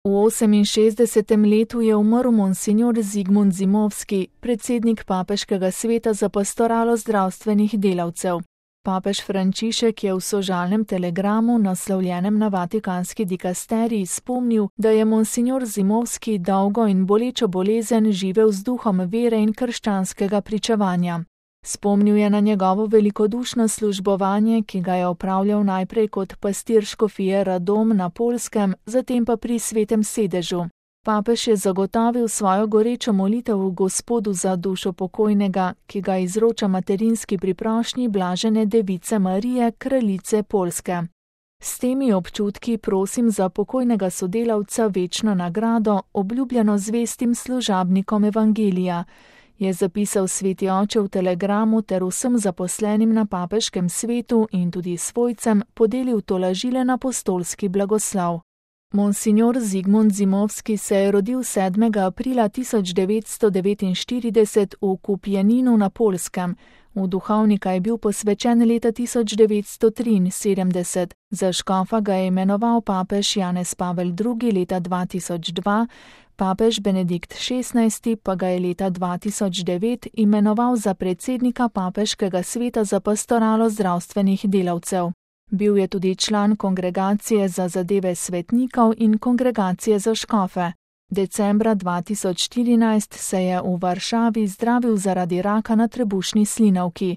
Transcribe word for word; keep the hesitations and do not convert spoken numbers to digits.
V oseminšestdesetem letu je umrl monsignor Zigmund Zimovski, predsednik Papeškega sveta za pastoralo zdravstvenih delavcev. Papež Frančišek je v sožalnem telegramu, naslovljenem na vatikanski dikasterij, spomnil, da je monsignor Zimovski dolgo in bolečo bolezen živel z duhom vere in krščanskega pričevanja. Spomnil je na njegovo velikodušno službovanje, ki ga je opravljal najprej kot pastir škofije Radom na Poljskem, zatem pa pri Svetem sedežu. Papež je zagotovil svojo gorečo molitev v Gospodu za dušo pokojnega, ki ga izroča materinski priprošnji blažene device Marije, kraljice Poljske. S temi občutki prosim za pokojnega sodelavca večno nagrado, obljubljeno zvestim služabnikom evangelija, je zapisal sveti oče v telegramu ter vsem zaposlenim na papeškem svetu in tudi svojcem podelil tolažilen apostolski blagoslov. Monsignor Zigmund Zimovski se je rodil sedmega aprila tisoč devetsto devetinštirideset v Kupjaninu na Poljskem. V duhovnika je bil posvečen leta tisoč devetsto triinsedemdeset, za škofa ga je imenoval papež Janez Pavel drugi leta dva tisoč dva, papež Benedikt šestnajsti pa ga je leta dva tisoč devet imenoval za predsednika Papeškega sveta za pastoralo zdravstvenih delavcev. Bil je tudi član Kongregacije za zadeve svetnikov in Kongregacije za škofe. Decembra dva tisoč štirinajst se je v Varšavi zdravil zaradi raka na trebušni slinavki.